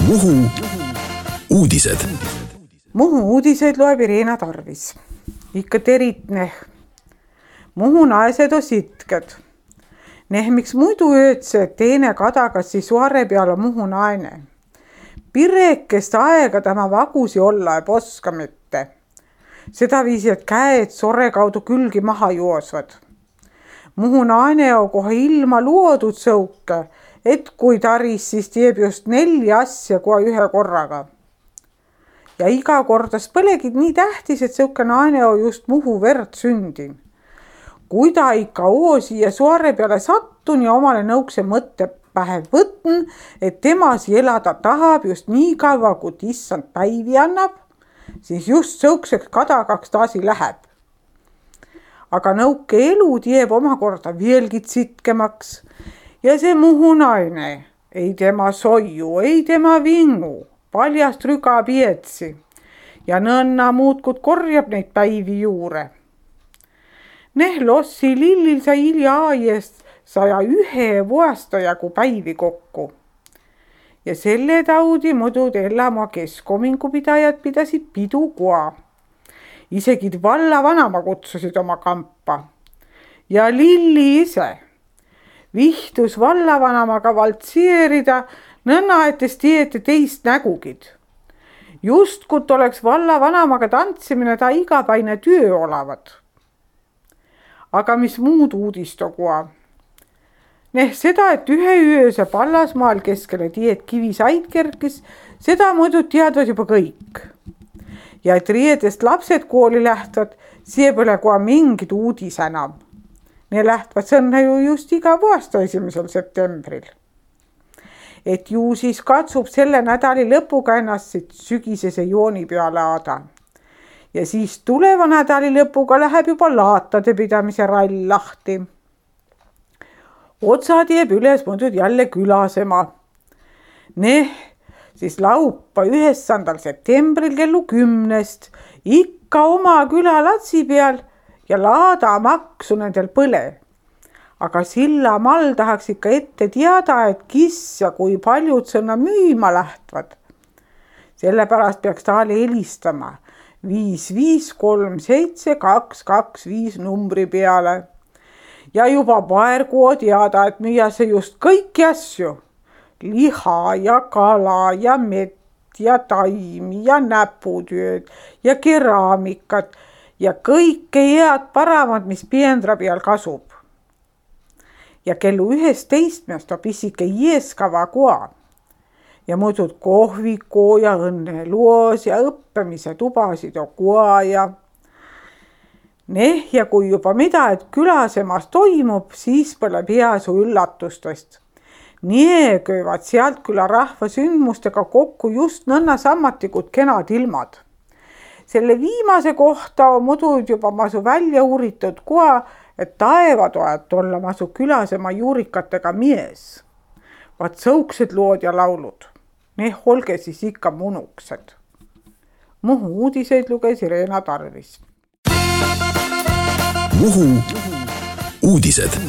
Muhu uudised. Muhu uudiseid loeb Irena Tarvis. Ikka terit neh. Muhu naised on sitked. Neh miks muidu öötse, et teine kadagasi suare peale Muhu naine. Pirekest aega tema vagusi olla ei poska mitte. Seda viisi, et käed sore kaudu külgi maha joosvad. Muhu naine on kohe ilma luodud sõuke, et kui taris, siis teeb just 4 asja kui ühe korraga. Ja iga kordas põlegid nii tähtis, et sõuke naine on just Muhu verd sündin. Kui ta ikka siia suare peale sattun ja omale nõukse mõtte pähe võtn, et temasi elada tahab just nii kaua, kui issand päivi annab, siis just sõukseks kadagaks taasi läheb. Aga nõuke elu teeb omakorda veelgi sitkemaks ja see Muhu naine, ei tema soiu, ei tema vingu, paljast rüga pietsi ja nõnna muudkud korjab neid päivi juure. Neh lossi lillil sai hilja aiest 101 vuastajagu päivi kokku. Ja selle taudi muidu Ellamaa keskomingupidajad pidasid pidu koa. Isegi vallavanama kutsusid oma kampa. Ja Lilli ise vihtus vallavanamaga valtseerida, nõnna etes tiete teist nägugid. Just kui oleks vallavanamaga tantsimine ta igapäine töö olevat. Aga mis muud uudist on koa? Neh seda, et ühe ööse Pallasmaal keskele tied kivisaid kerkis, seda muidu teadvad juba kõik. Ja et riiedest lapsed kooli lähtvad, see pole kohe mingid uudis enam. Ne lähtvad sõnne ju just iga aasta 1. septembril. Et ju siis katsub selle nädali lõpuga ennast siit sügisese jooni peale aada. Ja siis tuleva nädali lõpuga läheb juba laatade pidamise rall lahti. Otsa teeb üles muidu jälle külasema. Neh, siis laupa 9. septembril kellu 10 ikka oma külalatsi peal ja laada maksu nendel põle. Aga Sillamal tahaks ikka ette teada, et kis ja kui paljud sõna müüma lähtvad. Sellepärast peaks taale helistama 5537225 numbri peale. Ja juba paergu on teada, et müüase just kõiki asju. Liha ja kala ja mett ja taimi ja näputööd ja keraamikat ja kõike head paramad, mis piendra peal kasub. Ja kellu 11 on pisike jeeskava koa. Ja muidud kohviku ja õnneluos ja õppemise tubasid on koa ja neh, ja kui juba mida, et külasemas toimub, siis pole peasu üllatustest. Nii köövad sealt küla rahva sündmustega kokku just nõnna sammatikud kenad ilmad. Selle viimase kohta on muidu juba masu välja uuritud koa, et taevatoet olla masu külasema juurikatega mies. Vaat sõuksed lood ja laulud. Neh olge siis ikka munuksed. Muhu uudiseid luges Irena Tarvis. Muhu uudised.